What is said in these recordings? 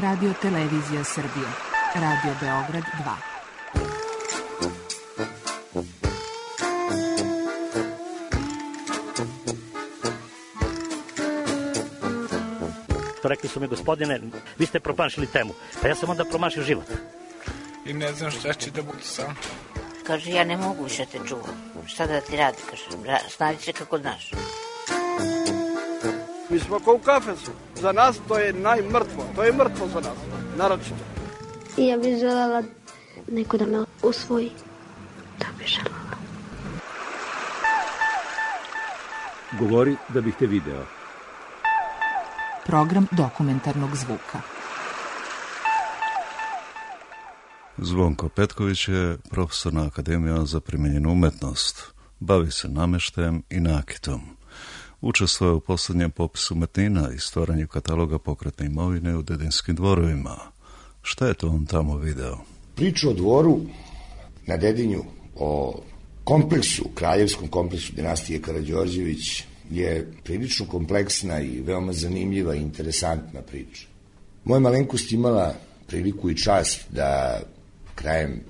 Radio Televizija Srbije. Radio Beograd 2. Rekli su mi, gospodine, vi ste promašili temu. Pa ja sam onda promašio život. I ne znam šta će da bude sam. Kaže, ja ne mogu više te čuvam. Šta da ti radi, kaže, snađi se kako znaš. Mi smo kao u kafesu. Za nas to je najmrtvo. To je mrtvo za nas, naročito. I ja bih želela neko da me usvoji. Da bih želela. Govori da bih te video. Program dokumentarnog zvuka. Zvonko Petković je profesor na Akademiji za primijenjenu umetnost. Bavi se namještajem i nakitom. Učestvuje u posljednjem popisu umetnina i stvaranju kataloga pokretne imovine u Dedinskim dvorovima. Šta je to on tamo video? Priču o dvoru na Dedinju, o kompleksu, kraljevskom kompleksu dinastije Karađorđević je prilično kompleksna i veoma zanimljiva i interesantna priča. Moja malenkost imala priliku i čast da krajem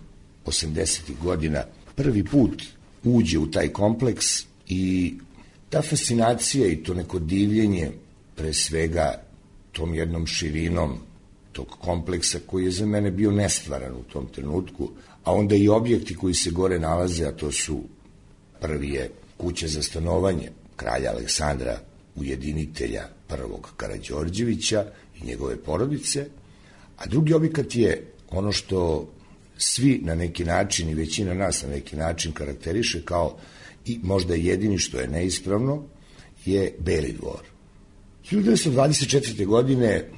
80. godina prvi put uđe u taj kompleks i ta fascinacija i to neko divljenje pre svega tom jednom širinom tog kompleksa koji je za mene bio nestvaran u tom trenutku, a onda i objekti koji se gore nalaze, a to su prvi je kuća za stanovanje kralja Aleksandra, ujedinitelja prvog Karađorđevića i njegove porodice, a drugi objekat je ono što svi na neki način i većina nas na neki način karakteriše kao i možda jedini što je neispravno, je Beli dvor. 1924. godine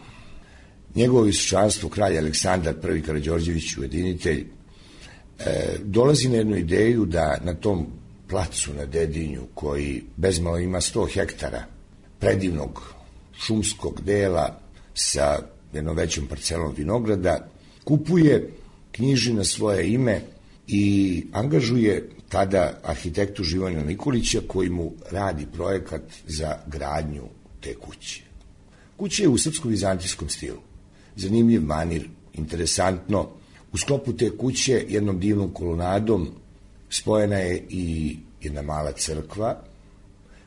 njegovo visočanstvo kralj Aleksandar I Karađorđević, ujedinitelj, dolazi na jednu ideju da na tom placu na Dedinju, koji bezmalo ima 100 hektara predivnog šumskog dela sa jednom većom parcelom vinograda, kupuje, knjiži na svoje ime i angažuje tada arhitektu Živojina Nikolića koji mu radi projekat za gradnju te kuće. Kuća je u srpsko-vizantijskom stilu. Zanimljiv manir, interesantno. U sklopu te kuće jednom divnom kolonadom spojena je i jedna mala crkva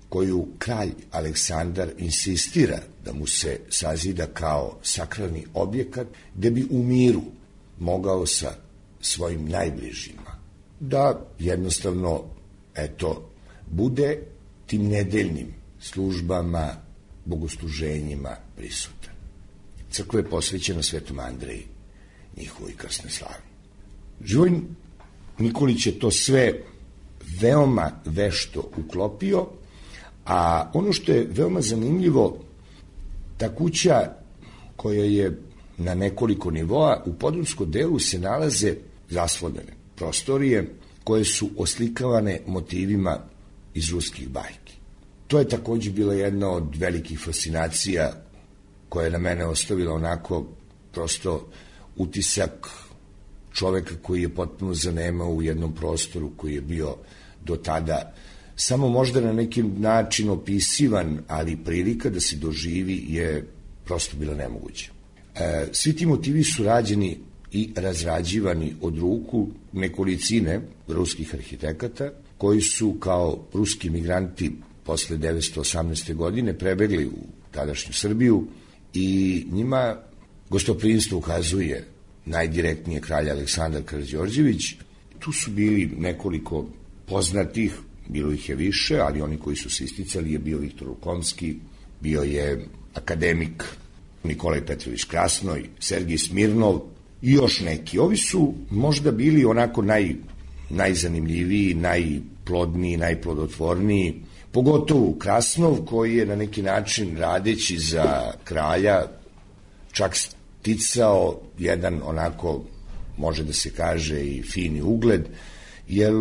koju kralj Aleksandar insistira da mu se sazida kao sakralni objekat gde bi u miru mogao sa svojim najbližima da jednostavno, bude tim nedeljnim službama, bogosluženjima prisutan. Crkva je posvećena Svetom Andreji, njihovoj krsnoj slavi. Živojin Nikolić je to sve veoma vešto uklopio, a ono što je veoma zanimljivo, ta kuća koja je na nekoliko nivoa, u podrumskom delu se nalaze zaslonjene prostorije koje su oslikavane motivima iz ruskih bajki. To je takođe bila jedna od velikih fascinacija koja je na mene ostavila onako prosto utisak čoveka koji je potpuno zanemao u jednom prostoru koji je bio do tada samo možda na neki način opisivan, ali prilika da se doživi je prosto bila nemoguća. Svi ti motivi su rađeni i razrađivani od ruku nekolicine ruskih arhitekata koji su kao ruski migranti posle 1918. godine prebegli u tadašnju Srbiju i njima gostoprimstvo ukazuje najdirektnije kralj Aleksandar Karađorđević. Tu su bili nekoliko poznatih, bilo ih je više, ali oni koji su se isticali je bio Viktor Lukomski, bio je akademik Nikolaj Petrović Krasnoj, Sergij Smirnov i još neki. Ovi su možda bili onako najzanimljiviji, najplodniji, najplodotvorniji, pogotovo Krasnov koji je na neki način radeći za kralja čak sticao jedan onako, može da se kaže i fini ugled, jer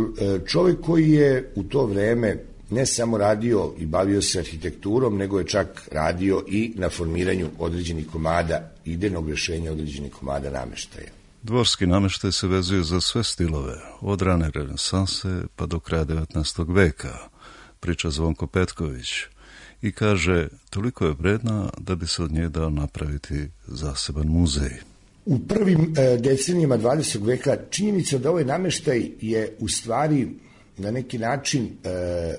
čovjek koji je u to vreme ne samo radio i bavio se arhitekturom, nego je čak radio i na formiranju određenih komada, idejnog rešenja određenih komada nameštaja. Dvorski nameštaj se vezuje za sve stilove, od rane renesanse pa do kraja 19. veka, priča Zvonko Petković. i kaže toliko je vredna da bi se od nje dao napraviti zaseban muzej. U prvim decenijama 20. veka činjenica da ovaj nameštaj je u stvari na neki način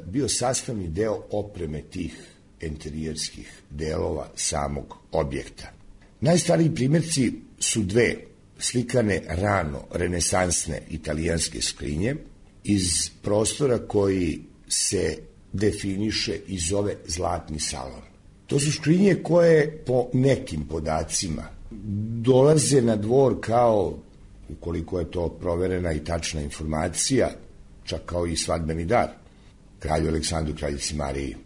bio sastavni deo opreme tih enterijerskih delova samog objekta. Najstariji primjerci su dve slikane rano renesansne italijanske skrinje iz prostora koji se definiše i zove Zlatni salon. To su skrinje koje po nekim podacima dolaze na dvor kao, ukoliko je to proverena i tačna informacija, čak kao i svadbeni dar kralju Aleksandru, kraljici Mariji.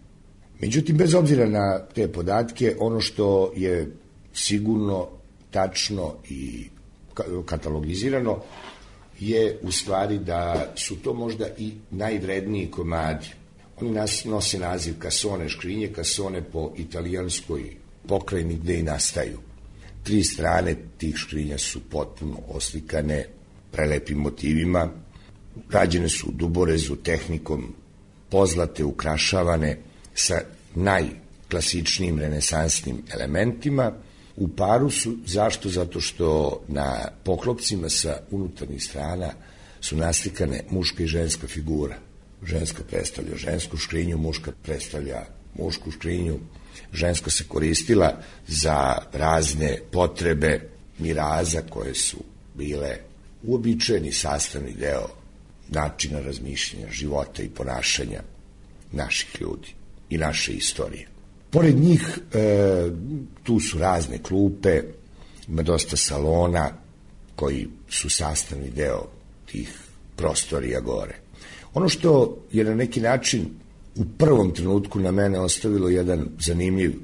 Međutim, bez obzira na te podatke, ono što je sigurno, tačno i katalogizirano je u stvari da su to možda i najvredniji komadi. Oni nose naziv kasone škrinje, kasone po italijanskoj pokrajini gde i nastaju. 3 strane tih škrinja su potpuno oslikane prelepim motivima, rađene su u duborezu tehnikom pozlate, ukrašavane sa najklasičnijim renesansnim elementima. U paru su, zašto? Zato što na poklopcima sa unutarnjih strana su naslikane muška i ženska figura. Ženska predstavlja žensku škrinju, muška predstavlja mušku škrinju. Ženska se koristila za razne potrebe miraza koje su bile uobičajeni sastavni deo načina razmišljanja, života i ponašanja naših ljudi i naše istorije. Pored njih tu su razne klupe, ima dosta salona koji su sastavni deo tih prostorija gore. Ono što je na neki način u prvom trenutku na mene ostavilo jedan zanimljiv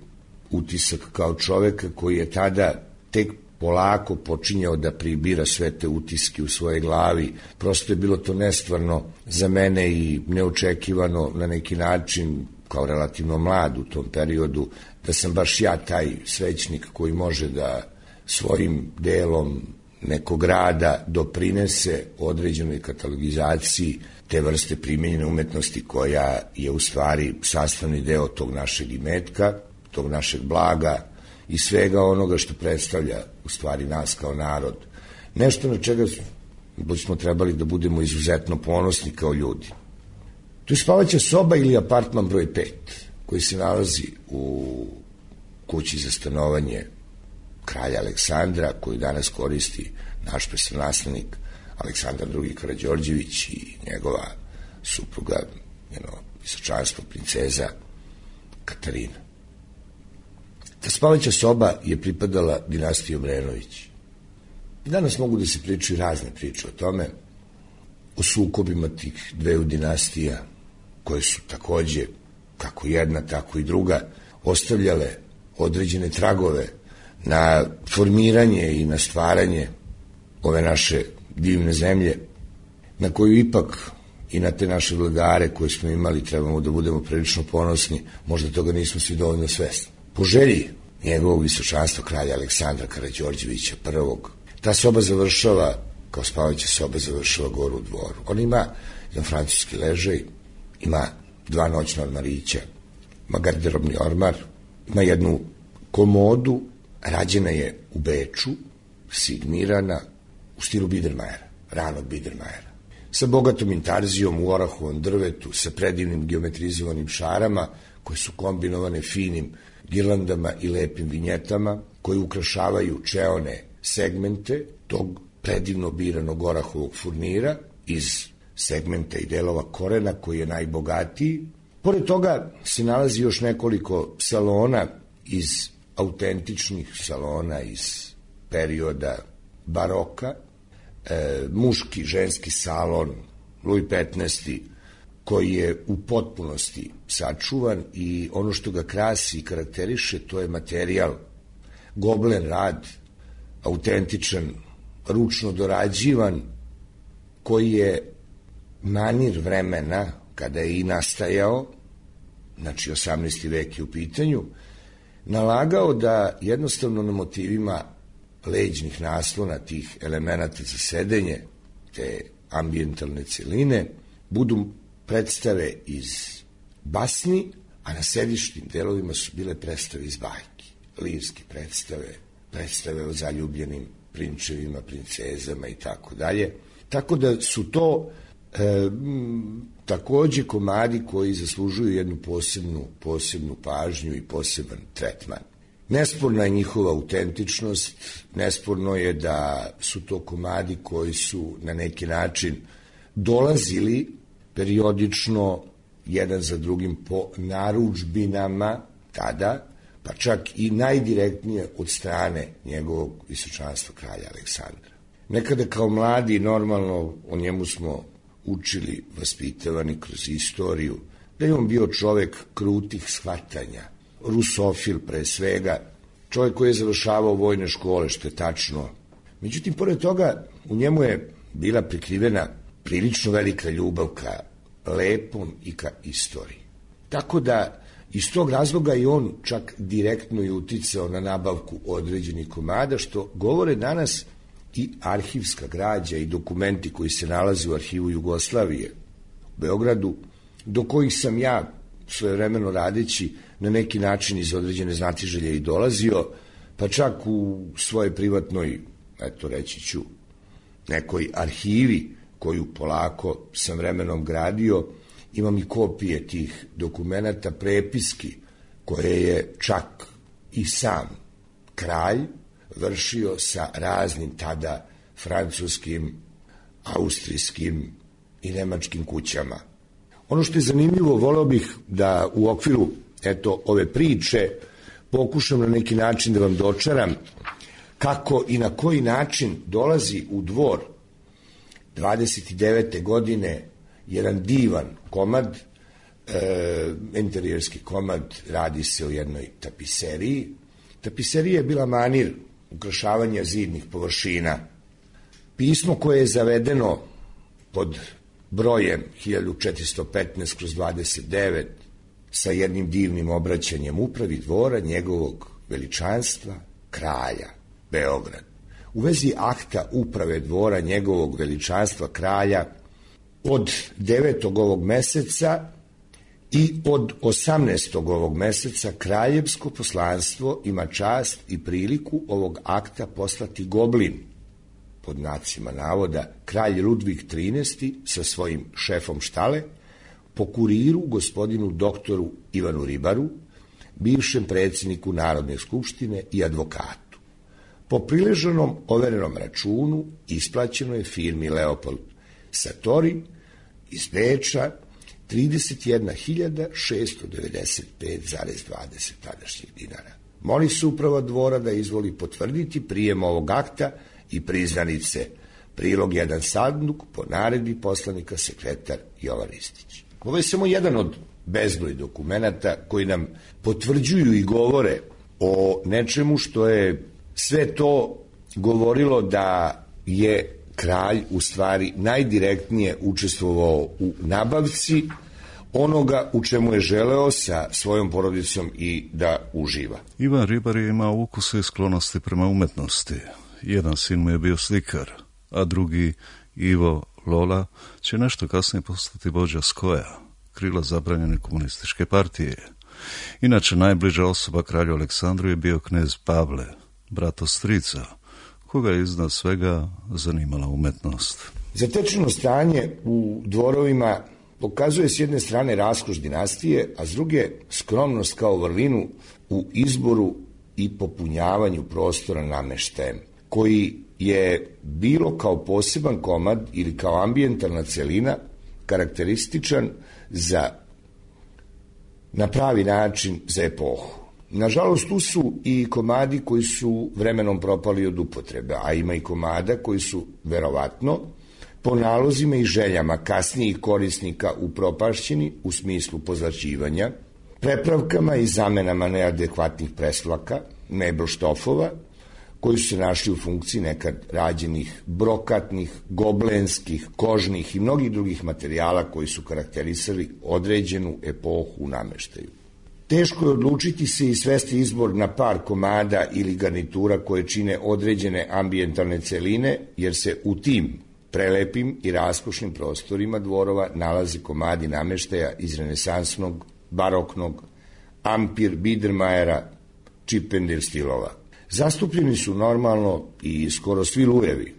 utisak kao čoveka koji je tada tek polako počinjao da pribira sve te utiske u svojoj glavi. Prosto je bilo to nestvarno za mene i neočekivano na neki način, kao relativno mlad u tom periodu, da sam baš ja taj svećnik koji može da svojim delom nekog rada doprinese određenoj katalogizaciji te vrste primenjene umetnosti koja je u stvari sastavni deo tog našeg imetka, tog našeg blaga i svega onoga što predstavlja u stvari nas kao narod. Nešto na čega smo trebali da budemo izuzetno ponosni kao ljudi. To je spavaća soba ili apartman broj 5, koji se nalazi u kući za stanovanje kralja Aleksandra, koju danas koristi naš prestolonaslednik Aleksandar II. Karađorđević i njegova supruga, visočanstvo princeza Katarina. Ta spavaća soba je pripadala dinastiji Obrenović. Danas mogu da se pričaju razne priče o tome, o sukobima tih dveju dinastija, koje su takođe, kako jedna, tako i druga, ostavljale određene tragove na formiranje i na stvaranje ove naše divne zemlje, na koju ipak i na te naše vladare koje smo imali trebamo da budemo prilično ponosni, možda toga nismo svi dovoljno svesni. Po želji njegovog visočanstva kralja Aleksandra Karađorđevića I, ta soba završava, kao spavaća soba, završava gore u dvoru. Ona ima jedan francuski ležaj, ima 2 noćna ormarića, ima garderobni ormar, ima jednu komodu, rađena je u Beču, signirana u stilu Biedermajera, ranog Biedermajera, sa bogatom intarzijom u orahovom drvetu, sa predivnim geometrizovanim šarama, koje su kombinovane finim girlandama i lepim vinjetama, koje ukrašavaju čeone segmente tog predivno biranog orahovog furnira iz segmenta i delova korena koji je najbogatiji. Pored toga se nalazi još nekoliko salona iz autentičnih salona iz perioda baroka, muški, ženski salon Louis XV, koji je u potpunosti sačuvan i ono što ga krasi i karakteriše, to je materijal, goblen rad, autentičan, ručno dorađivan, koji je manir vremena kada je i nastajao, znači 18. vek je u pitanju, nalagao da jednostavno na motivima leđnih naslona tih elemenata za sedenje, te ambijentalne celine, budu predstave iz basni, a na sedišnim delovima su bile predstave iz bajki, lirske predstave o zaljubljenim prinčevima, princezama i tako dalje. Tako da su to takođe komadi koji zaslužuju jednu posebnu pažnju i poseban tretman. Nesporna je njihova autentičnost, nesporno je da su to komadi koji su na neki način dolazili periodično jedan za drugim po narudžbinama tada, pa čak i najdirektnije od strane njegovog visočanstva kralja Aleksandra. Nekada kao mladi, normalno, o njemu smo učili, vaspitavani kroz istoriju, da je on bio čovek krutih shvatanja, rusofil pre svega, čovek koji je završavao vojne škole, što je tačno. Međutim, pored toga, u njemu je bila prikrivena prilično velika ljubav ka lepom i ka istoriji. Tako da, iz tog razloga i on čak direktno je uticao na nabavku određenih komada, što govore danas i arhivska građa i dokumenti koji se nalaze u arhivu Jugoslavije u Beogradu, do kojih sam ja svojevremeno radeći na neki način iz određene znatiželje i dolazio, pa čak u svojoj privatnoj, eto reći ću, nekoj arhivi koju polako sam vremenom gradio, imam i kopije tih dokumenata, prepiski, koje je čak i sam kralj vršio sa raznim tada francuskim, austrijskim i nemačkim kućama. Ono što je zanimljivo, voleo bih da u okviru ove priče pokušam na neki način da vam dočaram kako i na koji način dolazi u dvor 29. godine jedan divan komad, interijerski komad, radi se o jednoj tapiseriji. Tapiserija je bila manir ukrašavanja zidnih površina. Pismo koje je zavedeno pod brojem 1415/29 sa jednim divnim obraćanjem upravi dvora njegovog veličanstva kralja Beograd. U vezi akta uprave dvora njegovog veličanstva kralja od 9. ovog meseca i od 18. ovog meseca kraljevsko poslanstvo ima čast i priliku ovog akta poslati Goblin, pod znacima navoda, kralj Ludvig XIII sa svojim šefom štale, po kuriru gospodinu doktoru Ivanu Ribaru, bivšem predsjedniku Narodne skupštine i advokatu. Po prileženom overenom računu isplaćeno je firmi Leopold Satori iz Beča 31.695,20 tadašnjih dinara. Moli se uprava dvora da izvoli potvrditi prijem ovog akta i priznanice, prilog 1 sanduk po naredbi poslanika sekretar Jovan Ristić. Ovo je samo jedan od bezbroj dokumenata koji nam potvrđuju i govore o nečemu što je sve to govorilo da je kralj u stvari najdirektnije učestvovao u nabavci onoga u čemu je želeo sa svojom porodicom i da uživa. Ivan Ribar je imao ukuse i sklonosti prema umetnosti. Jedan sin mu je bio slikar, a drugi, Ivo Lola, će nešto kasnije postati vođa SKOJ-a, krila zabranjene komunističke partije. Inače, najbliža osoba kralju Aleksandru je bio knez Pavle, brat od strica, koga je iznad svega zanimala umetnost. Zatečeno stanje u dvorovima pokazuje s jedne strane raskoš dinastije, a s druge skromnost kao vrlinu u izboru i popunjavanju prostora nameštajem, koji je bilo kao poseban komad ili kao ambijentalna celina karakterističan na pravi način za epohu. Nažalost, tu su i komadi koji su vremenom propali od upotrebe, a ima i komada koji su, verovatno, po nalozima i željama kasnijih korisnika upropašćeni u smislu pozlaćivanja, prepravkama i zamenama neadekvatnih presvlaka, mebel štofova, koji su se našli u funkciji nekad rađenih brokatnih, goblenskih, kožnih i mnogih drugih materijala koji su karakterisali određenu epohu u nameštaju. Teško je odlučiti se i svesti izbor na par komada ili garnitura koje čine određene ambijentalne celine, jer se u tim prelepim i raskošnim prostorima dvorova nalaze komadi nameštaja iz renesansnog, baroknog, Ampir, Biedermajera, Chippendale stilova. Zastupljeni su normalno i skoro svi Lujevi.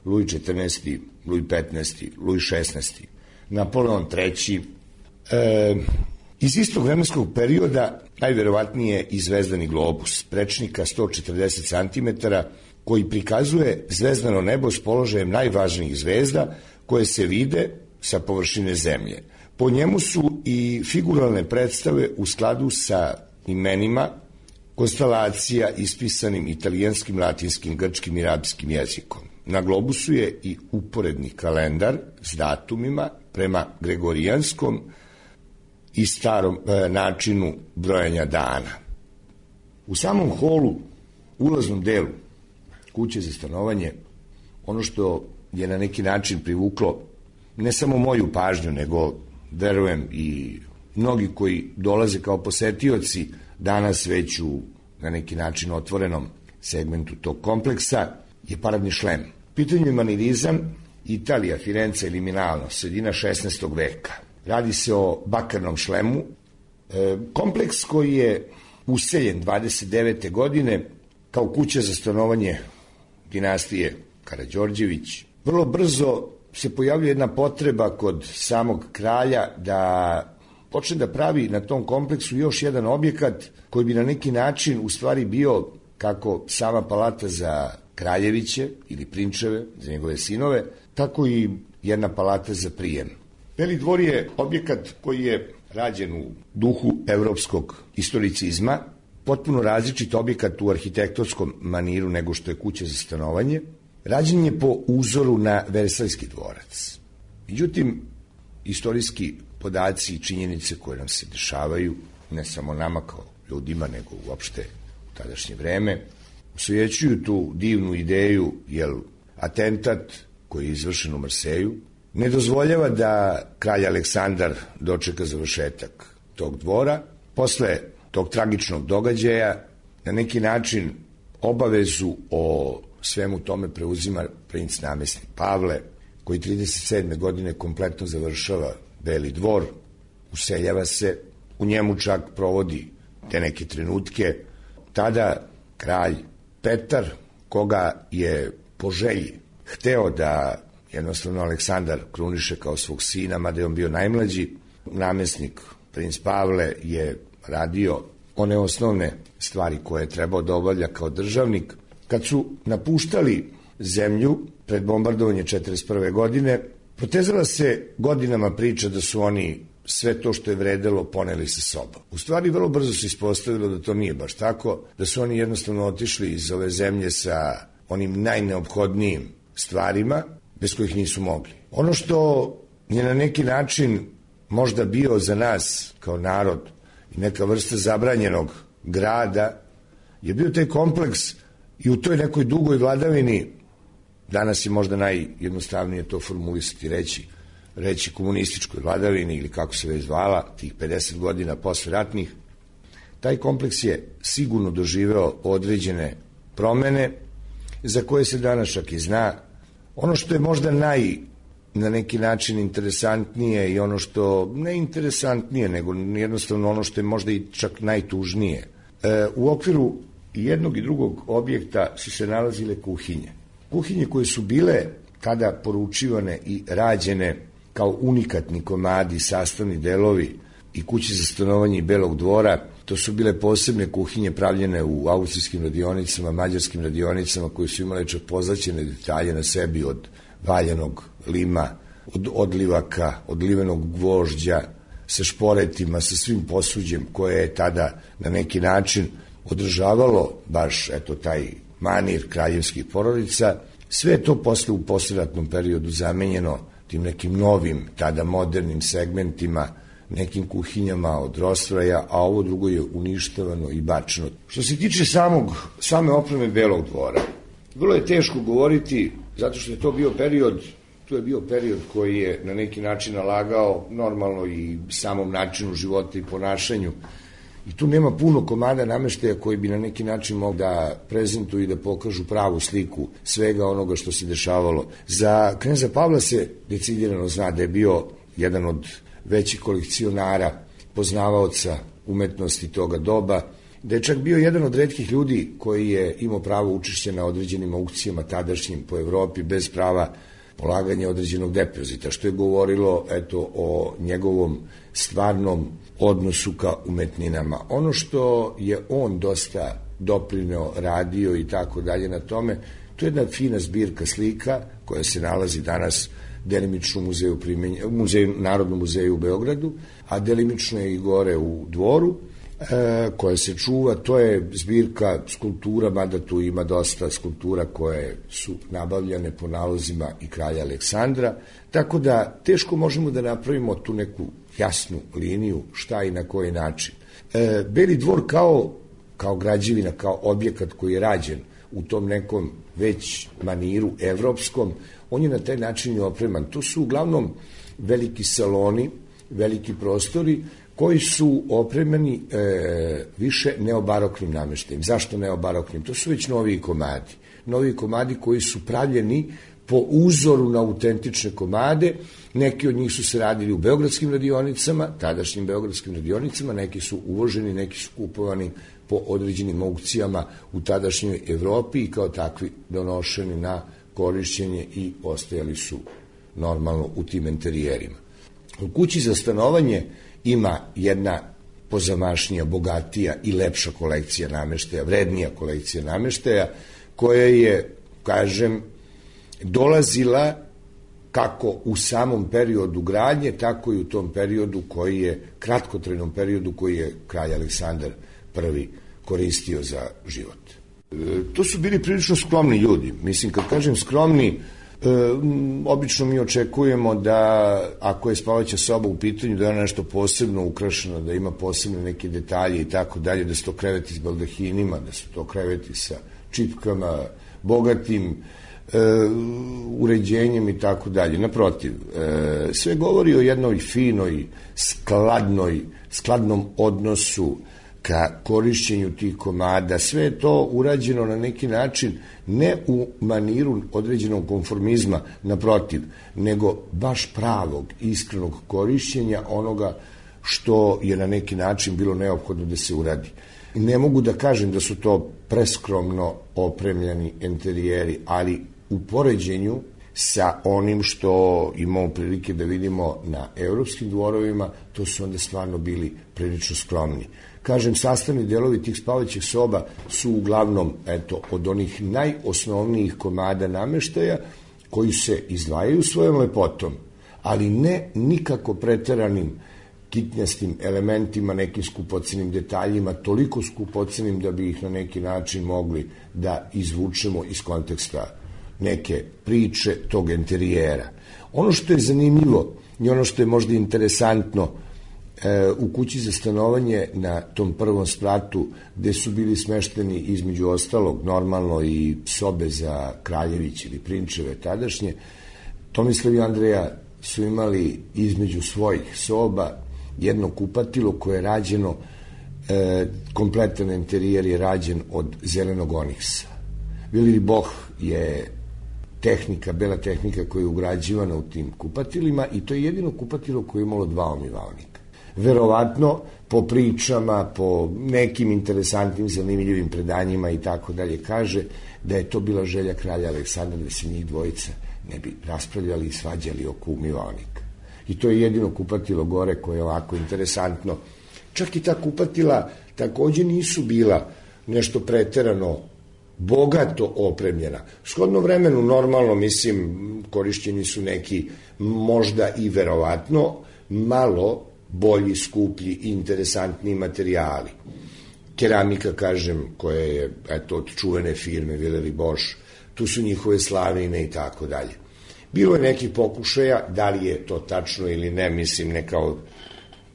Luj XIV, Luj XV, Luj XVI, Napoleon III. Iz istog vremenskog perioda najverovatnije i zvezdani globus, prečnika 140 cm, koji prikazuje zvezdano nebo s položajem najvažnijih zvezda koje se vide sa površine zemlje. Po njemu su i figuralne predstave u skladu sa imenima konstelacija ispisanim italijanskim, latinskim, grčkim i arapskim jezikom. Na globusu je i uporedni kalendar s datumima prema gregorijanskom i starom načinu brojanja dana. U samom holu, ulaznom delu kuće za stanovanje, ono što je na neki način privuklo ne samo moju pažnju, nego verujem i mnogi koji dolaze kao posetioci danas već u na neki način otvorenom segmentu tog kompleksa, je paradni šlem. Pitanju je manirizam, Italija, Firenze ili Milano, sredina 16. veka. Radi se o bakarnom šlemu. Kompleks koji je useljen 29. godine kao kuća za stanovanje dinastije Karađorđević. Vrlo brzo se pojavljuje jedna potreba kod samog kralja da počne da pravi na tom kompleksu još jedan objekat koji bi na neki način u stvari bio kako sama palata za kraljeviće ili prinčeve, za njegove sinove, tako i jedna palata za prijem. Beli dvor je objekat koji je rađen u duhu evropskog historicizma, potpuno različit objekat u arhitektonskom maniru nego što je kuća za stanovanje. Rađen je po uzoru na Versajski dvorac. Međutim, istorijski podaci i činjenice koje nam se dešavaju, ne samo nama kao ljudima, nego uopšte u tadašnje vreme, osvećuju tu divnu ideju, jer atentat koji je izvršen u Marseju ne dozvoljava da kralj Aleksandar dočeka završetak tog dvora. Posle tog tragičnog događaja na neki način obavezu o svemu tome preuzima princ namestnik Pavle, koji 37. godine kompletno završava Beli dvor, useljava se, u njemu čak provodi te neke trenutke. Tada kralj Petar, koga je po želji hteo da jednostavno Aleksandar kruniše kao svog sina, mada je on bio najmlađi, namestnik princ Pavle je radio one osnovne stvari koje je trebao da obavlja kao državnik. Kad su napuštali zemlju pred bombardovanje 1941. godine, protezala se godinama priča da su oni sve to što je vredelo poneli sa sobom. U stvari, vrlo brzo se ispostavilo da to nije baš tako, da su oni jednostavno otišli iz ove zemlje sa onim najneophodnijim stvarima, bez kojih nisu mogli. Ono što je na neki način možda bio za nas kao narod i neka vrsta zabranjenog grada, je bio taj kompleks i u toj nekoj dugoj vladavini, danas je možda najjednostavnije to formulisati, reći komunističkoj vladavini ili kako se već zvala, tih 50 godina posle ratnih, taj kompleks je sigurno doživeo određene promene za koje se danas čak i zna. Ono što je možda na neki način interesantnije i ono što ne interesantnije, nego jednostavno ono što je možda i čak najtužnije. U okviru jednog i drugog objekta su se nalazile kuhinje. Kuhinje koje su bile tada poručivane i rađene kao unikatni komadi, sastavni delovi i kuće za stanovanje i Belog dvora. To su bile posebne kuhinje pravljene u austrijskim radionicama, mađarskim radionicama, koje su imale čak pozlaćene detalje na sebi od valjanog lima, od odlivaka, odlivenog gvožđa, sa šporetima, sa svim posuđem koje je tada na neki način održavalo baš taj manir kraljevskih porodica. Sve je to posle u posleratnom periodu zamenjeno tim nekim novim, tada modernim segmentima, nekim kuhinjama od Rostroja, a ovo drugo je uništavano i bačeno. Što se tiče same opreme Belog dvora, vrlo je teško govoriti, zato što je to bio period koji je na neki način nalagao normalno i samom načinu života i ponašanju. I tu nema puno komada nameštaja koji bi na neki način mogli da prezentuju i da pokažu pravu sliku svega onoga što se dešavalo. Za kneza Pavla se decidirano zna da je bio jedan od većih kolekcionara, poznavaoca umetnosti toga doba, da je čak bio jedan od retkih ljudi koji je imao pravo učešća na određenim aukcijama tadašnjim po Evropi bez prava polaganja određenog depozita, što je govorilo o njegovom stvarnom odnosu ka umetninama. Ono što je on dosta doprineo, radio i tako dalje na tome, to je jedna fina zbirka slika koja se nalazi danas delimično u Narodnom muzeju u Beogradu, a delimično je i gore u Dvoru, koja se čuva. To je zbirka skulptura, mada tu ima dosta skulptura koje su nabavljane po nalozima i kralja Aleksandra, tako da teško možemo da napravimo tu neku jasnu liniju šta i na koji način. Beli dvor kao građevina, kao objekat koji je rađen u tom nekom već maniru evropskom, on je na taj način i opreman. To su uglavnom veliki saloni, veliki prostori koji su opremani više neobaroknim nameštajem. Zašto neobaroknim? To su već noviji komadi. Novi komadi koji su pravljeni po uzoru na autentične komade. Neki od njih su se radili u beogradskim radionicama, tadašnjim beogradskim radionicama, neki su uvoženi, neki su kupovani po određenim aukcijama u tadašnjoj Evropi i kao takvi donošeni na korišćenje i ostajali su normalno u tim enterijerima. U kući za stanovanje ima jedna pozamašnija, bogatija i lepša kolekcija nameštaja, vrednija kolekcija nameštaja, koja je, kažem, dolazila kako u samom periodu gradnje, tako i u tom periodu koji je, kratkotrajnom periodu koji je kralj Aleksandar I koristio za život. To su bili prilično skromni ljudi. Mislim, kad kažem skromni, obično mi očekujemo da ako je spavaća soba u pitanju, da je ona nešto posebno ukrašena, da ima posebne neke detalje i tako dalje, da su to kreveti s baldahinima, da su to kreveti sa čipkama, bogatim uređenjem i tako dalje. Naprotiv, sve govori o jednoj finoj, skladnom odnosu ka korišćenju tih komada. Sve je to urađeno na neki način ne u maniru određenog konformizma, naprotiv, nego baš pravog, iskrenog korišćenja onoga što je na neki način bilo neophodno da se uradi. Ne mogu da kažem da su to preskromno opremljeni enterijeri, ali u poređenju sa onim što imamo prilike da vidimo na evropskim dvorovima, to su onda stvarno bili prilično skromni. Kažem, sastavni delovi tih spavaćih soba su uglavnom, od onih najosnovnijih komada nameštaja koji se izdvajaju svojom lepotom, ali ne nikako preteranim kitnjastim elementima, nekim skupocenim detaljima, toliko skupocenim da bi ih na neki način mogli da izvučemo iz konteksta neke priče tog enterijera. Ono što je zanimljivo i ono što je možda interesantno u kući za stanovanje na tom prvom spratu, gde su bili smešteni između ostalog normalno i sobe za kraljević ili prinčeve tadašnje, Tomislav i Andreja su imali između svojih soba jedno kupatilo koje je rađeno, kompletan enterijer je rađen od zelenog oniksa. Viliri Boh je tehnika, bela tehnika koja je ugrađivana u tim kupatilima i to je jedino kupatilo koje je imalo 2 omivalnika. Verovatno, po pričama, po nekim interesantnim, zanimljivim predanjima i tako dalje, kaže da je to bila želja kralja Aleksandra da se njih dvojica ne bi raspravljali i svađali oko umivalnika. I to je jedino kupatilo gore koje je ovako interesantno. Čak i ta kupatila takođe nisu bila nešto preterano bogato opremljena. Shodno vremenu, normalno, mislim, korišćeni su neki možda i verovatno malo bolji, skuplji i interesantniji materijali. Keramika, kažem, koja je od čuvene firme Viliri Bosch, tu su njihove slavine i tako dalje. Bilo je nekih pokušaja, da li je to tačno ili ne, mislim, neka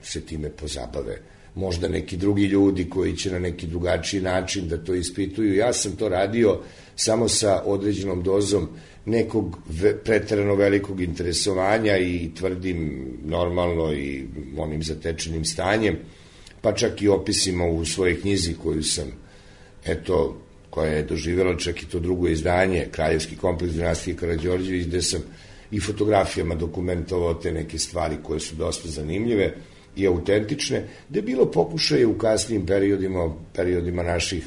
se time pozabave. Možda neki drugi ljudi koji će na neki drugačiji način da to ispituju. Ja sam to radio samo sa određenom dozom nekog preterano velikog interesovanja i tvrdim normalno i onim zatečenim stanjem, pa čak i opisima u svojoj knjizi koju sam, koja je doživjela čak i to drugo izdanje, Kraljevski kompleks dinastije Karađorđević, gde sam i fotografijama dokumentovao te neke stvari koje su dosta zanimljive. i autentične, da je bilo pokušaje u kasnijim periodima naših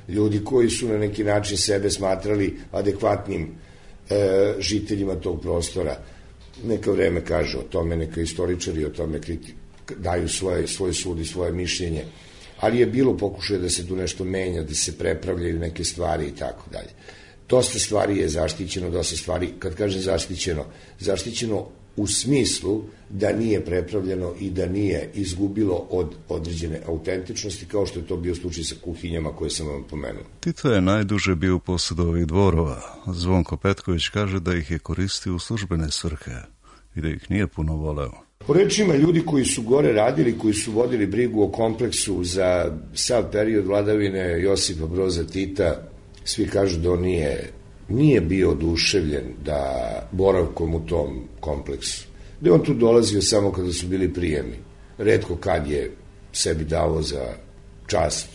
ljudi koji su na neki način sebe smatrali adekvatnim žiteljima tog prostora. Neka vreme kaže o tome, neka istoričari o tome daju svoj sud i svoje mišljenje, ali je bilo pokušaje da se tu nešto menja, da se prepravljaju neke stvari i tako dalje. Dosta stvari je zaštićeno, dosta stvari, kad kažem zaštićeno u smislu da nije prepravljeno i da nije izgubilo od određene autentičnosti, kao što je to bio slučaj sa kuhinjama koje sam vam pomenuo. Tito je najduže bio u posjedu ovih dvorova. Zvonko Petković kaže da ih je koristio u službene svrhe i da ih nije puno voleo. Po rečima ljudi koji su gore radili, koji su vodili brigu o kompleksu za sav period vladavine Josipa Broza Tita, svi kažu da on nije bio oduševljen da boravkom u tom kompleksu. Da je on tu dolazio samo kada su bili prijemi. Retko kad je sebi dao za čast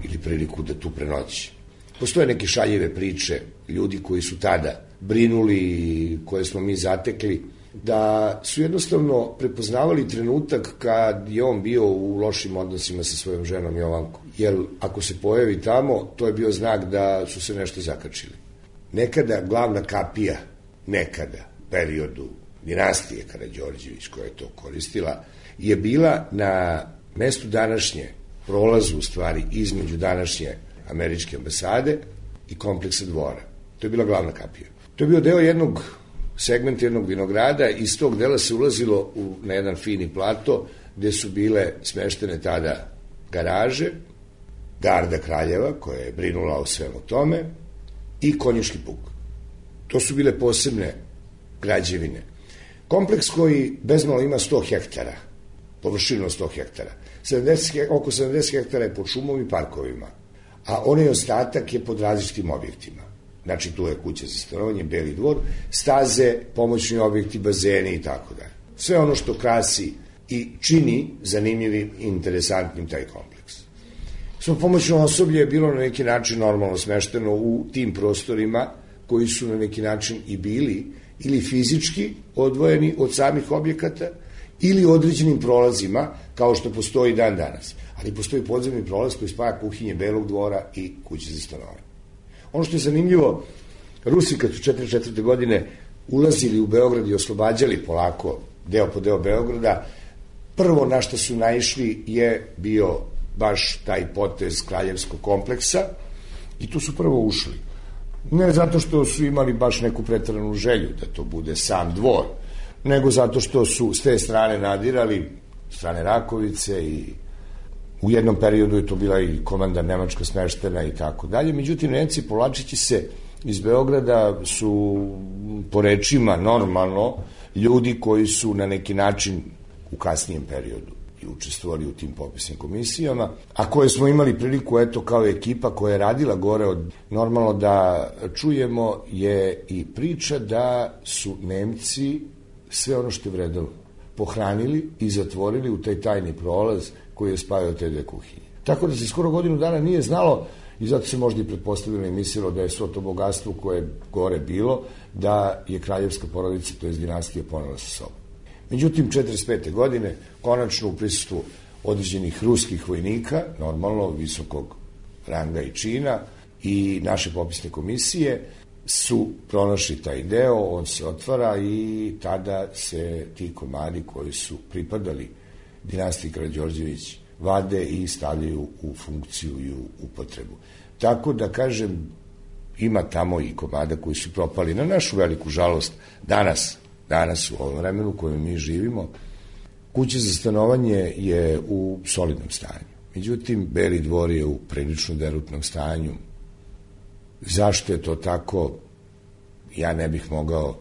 ili priliku da tu prenoći. Postoje neke šaljive priče ljudi koji su tada brinuli i koje smo mi zatekli, da su jednostavno prepoznavali trenutak kad je on bio u lošim odnosima sa svojom ženom Jovankom. Jer ako se pojavi tamo, to je bio znak da su se nešto zakačili. Nekada glavna kapija, periodu dinastije Karađorđević koja je to koristila, je bila na mestu današnje, prolazu u stvari između današnje američke ambasade i kompleksa dvora. To je bila glavna kapija. To je bio deo segment jednog vinograda, iz tog dela se ulazilo na jedan fini plato gde su bile smeštene tada garaže, garda kraljeva koja je brinula o svemu tome i konjički puk. To su bile posebne građevine. Kompleks koji bezmalo ima 100 hektara, površinu 100 hektara. Oko 70 hektara je pod šumom i parkovima, a onaj ostatak je pod različitim objektima. Znači, tu je kuća za stanovanje, Beli dvor, staze, pomoćni objekti, bazeni i tako dalje. Sve ono što krasi i čini zanimljivim i interesantnim taj kompleks. Svo pomoćno osoblje je bilo na neki način normalno smešteno u tim prostorima koji su na neki način i bili ili fizički odvojeni od samih objekata ili određenim prolazima, kao što postoji dan danas. Ali postoji podzemni prolaz koji spaja kuhinje Belog dvora i kuće za stanovanje. Ono što je zanimljivo, Rusi kad su 1944. godine ulazili u Beograd i oslobađali polako deo po deo Beograda, prvo na što su naišli je bio baš taj potez kraljevskog kompleksa i tu su prvo ušli. Ne zato što su imali baš neku preteranu želju da to bude sam dvor, nego zato što su s te strane nadirali, strane Rakovice, i u jednom periodu je to bila i komanda nemačka smeštena i tako dalje. Međutim, Nemci povlačeći se iz Beograda su, po rečima normalno, ljudi koji su na neki način u kasnijem periodu i učestvovali u tim popisnim komisijama, a koje smo imali priliku, eto, kao ekipa koja je radila gore, normalno da čujemo je i priča da su Nemci sve ono što je vredalo pohranili i zatvorili u taj tajni prolaz koji je spajao te dve kuhinje. Tako da se skoro godinu dana nije znalo, i zato se možda i pretpostavilo i mislilo da je svo to bogatstvo koje je gore bilo, da je kraljevska porodica, to je dinastija, ponela sa sobom. Međutim, 1945. godine, konačno u prisustvu određenih ruskih vojnika, normalno visokog ranga i čina, i naše popisne komisije su pronašli taj deo, on se otvara i tada se ti komadi koji su pripadali dinastiji Karađorđević vade i stavljaju u funkciju i u upotrebu. Tako da, kažem, ima tamo i komada koji su propali. Na našu veliku žalost, danas u ovom vremenu u kojem mi živimo, kuća za stanovanje je u solidnom stanju. Međutim, Beli dvor je u prilično derutnom stanju. Zašto je to tako? Ja ne bih mogao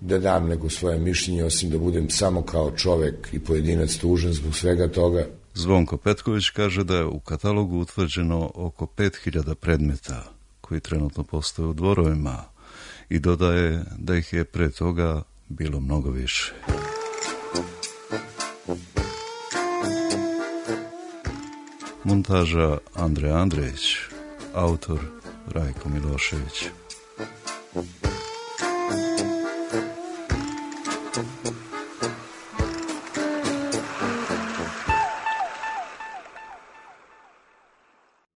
da dam neko svoje mišljenje, osim da budem samo kao čovek i pojedinac tužan zbog svega toga. Zvonko Petković kaže da je u katalogu utvrđeno oko 5000 predmeta koji trenutno postoje u dvorovima i dodaje da ih je pre toga bilo mnogo više. Montaža Andrej Andrejić, autor Rajko Milošević.